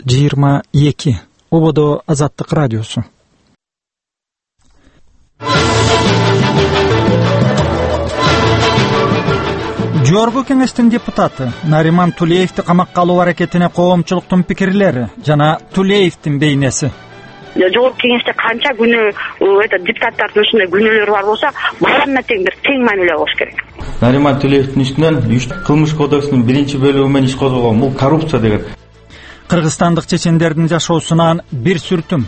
22 Ободо Азаттык радиосу. Жогорку кеңештин депутаты Нариман Тулеевди камакка алуу аракетине коомчулуктун пикирлери жана Тулеевдин бейнеси. Жогорку кеңеште канча күнөө депутаттардын ушундай күнөөлөрү бар болсо, баарына тең мамиле болуш керек. Нариман Тулеевдин үстүнөн кылмыш кодексинин 1-бөлүгү менен иш козголгон. Бул коррупция деген. Кыргызстандык чечендердин жашоосунан бир сүртүм.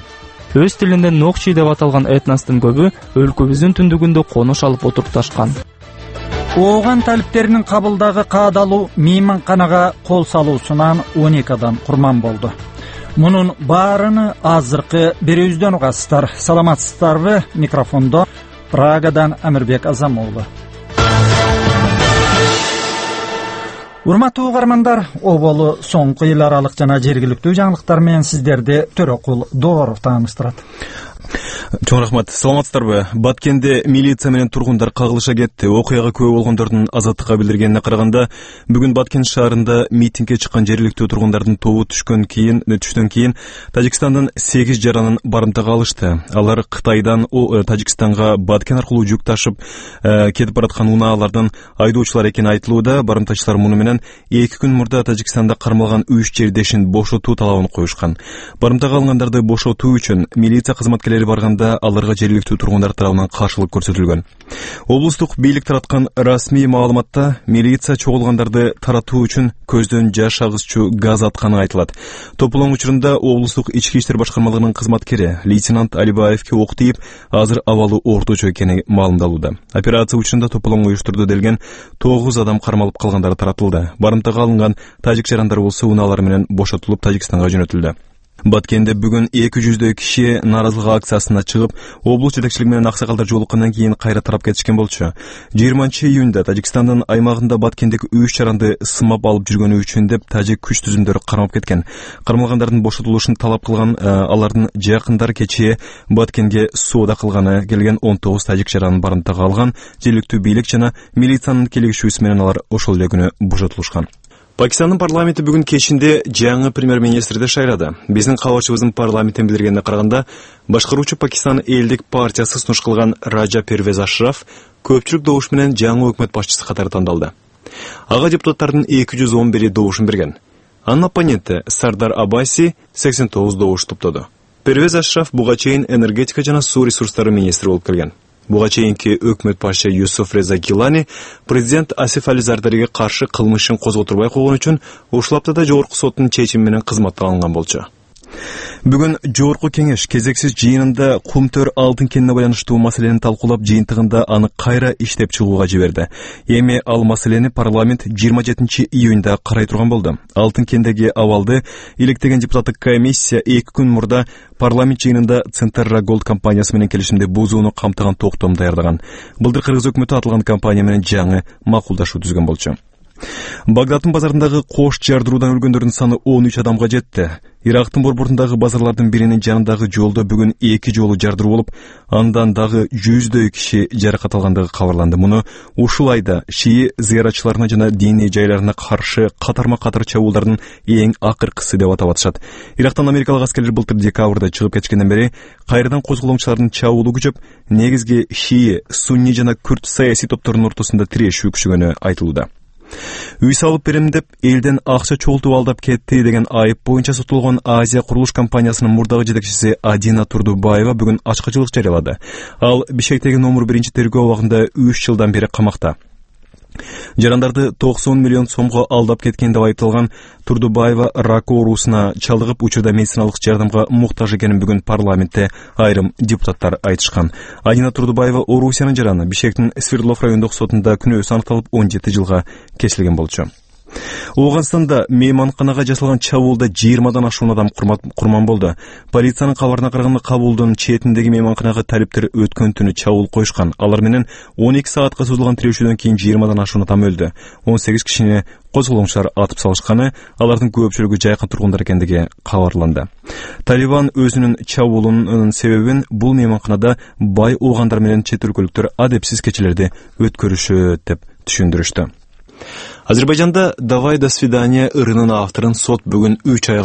Өз тилинде Нокчи деп аталган этностун көбү өлкөбүздүн түндүгүндө конуш алып отурупташкан. Ооган талиптеринин кабылдагы каадалуу мейманканага кол салуусунан 12 адам курман болду. Мунун баарыны азыркы берүүбүздөн угасыздар. Саламатсыздарбы? Микрофондо Прагадан Амирбек Азамоğlu. Урматтуу угармандар, оболу соңку эл аралык жана жергиликтүү жаңылыктар менен сиздерди Төрөкул Дооров тааныштырат. Чоң рахмат. Саламатсыздарбы? Баткенде милиция менен тургундар кагылыша кетти. Окуяга күбө болгондордун Азаттыкка билдиргенине караганда, бүгүн Баткен шаарында митингге чыккан жергиликтүү тургундардын тобу түштөн кийин Тажикстандын 8 жаранын барымтага алышты. Алар Кытайдан Тажикстанга Баткен аркылуу жүк ташып кетип бараткан унаалардын айдоочулар экени айтылууда. Барымтачылар муну менен 2 күн мурда Тажикстанда кармалган 3 жердешин бошотуу талабын коюшкан. Барымтага алынгандарды бошотуу үчүн милиция кызматкерлери барганда аларга жергиликтүү тургундар тарабынан каршылык көрсөтүлгөн. Облустук бийлик тараткан расмий маалыматта милиция чогулгандарды таратуу үчүн көздөн жаш агызчу газ атканы айтылат. Тополоң учурунда облустук ички иштер башкармалыгынын кызматкери лейтенант Алибаевке ок тийип, азыр абалы орточо экени маалымдалууда. Операция учурунда тополоң уюштурду делген 9 адам кармалып калгандары таратылды. Барымтага алынган тажик жарандары болсо унаалар менен бошотулуп Тажикстанга жөнөтүлдү. Баткенде бүгүн 200 киши нааразылык акциясына чыгып, облус жетекчилиги менен аксакалдар жолуккандан кийин кайра тарап кетишкен болчу. 20-июнда Тажикстандын аймагында Баткендеги 3 жаранды сымап алып жүргөнү үчүн деп тажик күч түзүмдөрү кармап кеткен. Кармалгандардын бошотулушун талап кылган алардын жакындары кечээ Баткенге соода кылганы келген 19 тажик жаранын барымтага алган. Жергиликтүү бийлик жана милициянын келишүүсү менен алар ошол эле күнү бошотулушкан. Пакистандын парламенти бүгүн кечинде жаңы премьер-министрди шайлады. Биздин кабарчыбыздын парламенттен билдиргенине караганда, башкаруучу Пакистан элдик партиясы сунуш кылган Раджа Первез Ашраф көпчүлүк добуш менен жаңы өкмөт башчысы катары тандалды. Ага депутаттардын 211 добушун берген. Анын оппоненти Сардар Абаси 89 добуш топтоду. Первез Ашраф буга чейин энергетика жана суу ресурстары министри болуп келген. Буга чейинки өкмөт башчы Юсуф Реза Гилани президент Асиф Али Зардариге каршы кылмышын козготурбай койгон үчүн ушул аптада жогорку соттун чечими менен кызматтан алынган болчу. Бүгүн жогорку кеңеш кезексиз жыйынында Кумтөр алтын кенине байланыштуу маселени талкуулап, жыйынтыгында аны кайра иштеп чыгууга жиберди. Эми ал маселени парламент 27-июнда карай турган болду. Алтын кендеги абалды илектеген депутаттык комиссия 2 күн мурда парламент жыйынында Центрра Голд компаниясы менен келишимде бузууну камтыган токтом даярдаган. Былтыр кыргыз өкмөтү аталган компания менен жаңы макулдашуу түзгөн болчу. Багдаддын базарындагы кош жардыруудан өлгөндөрдүн саны 13 адамга жетти. Ирактын борбордундагы базарлардын биринин жанындагы жолдо бүгүн 2 жолу жардыруу болуп, андан дагы 100дөй киши жаракат алгандыгы кабарланды. Муну ушул айда шии зыяратчыларына жана диний жайларына каршы катарма-катар чабуулдардын эң акыркысы деп атап атышат. Ирактан америкалык аскерлер былтыр декабрда чыгып кеткенден бери кайрадан козголоңчулардын чабуулу күчөп, негизги шии, сунни жана күрд саясий топторунун ортосунда тирешүү күчөгөнү айтылууда. Үй салып берем деп элден акча чогултуп алдап кетти деген айып боюнча сотулган Азия курулуш компаниясынын мурдагы жетекчиси Адина Турдубаева бүгүн ачкычылык жарыялады. Ал Бишкектеги номер 1 тергөө абагында 3 жылдан бери камакта. Жарандарды 90 миллион сомго алдап кеткен деп айтылган Турдубаева рак оорусуна чалдыгып, учурда медициналык жардамга муктаж экенин бүгүн парламентте айрым депутаттар айтышкан. Адина Турдубаева Орусиянын жараны Бишкектин Свердлов райондук сотунда күнөөсү аныкталып 17 жылга кесилген болчу. Оуганстанда мейманканага жасалган чабуулда 20дан ашуун адам курман болду. Полициянын кабарына караганда Кабулдун четиндеги мейманканага талиптер өткөн түнү чабуул коюшкан. Алар менен 12 саатка созулган тирешүүдөн кийин 20дан ашуун адам өлдү. 18 кишини козголоңчулар атып салышканы, алардын көпчүлүгү жайкын тургундар экендиги кабарланды. Талибан өзүнүн чабуулунун себебин бул мейманканада бай оогандар менен чет өлкөлүктөр адепсиз кечелерди өткөрүшөт деп түшүндүрүштү. Азербайжанда «Давай до свидания» ырынын авторун сот бүгүн 3 айга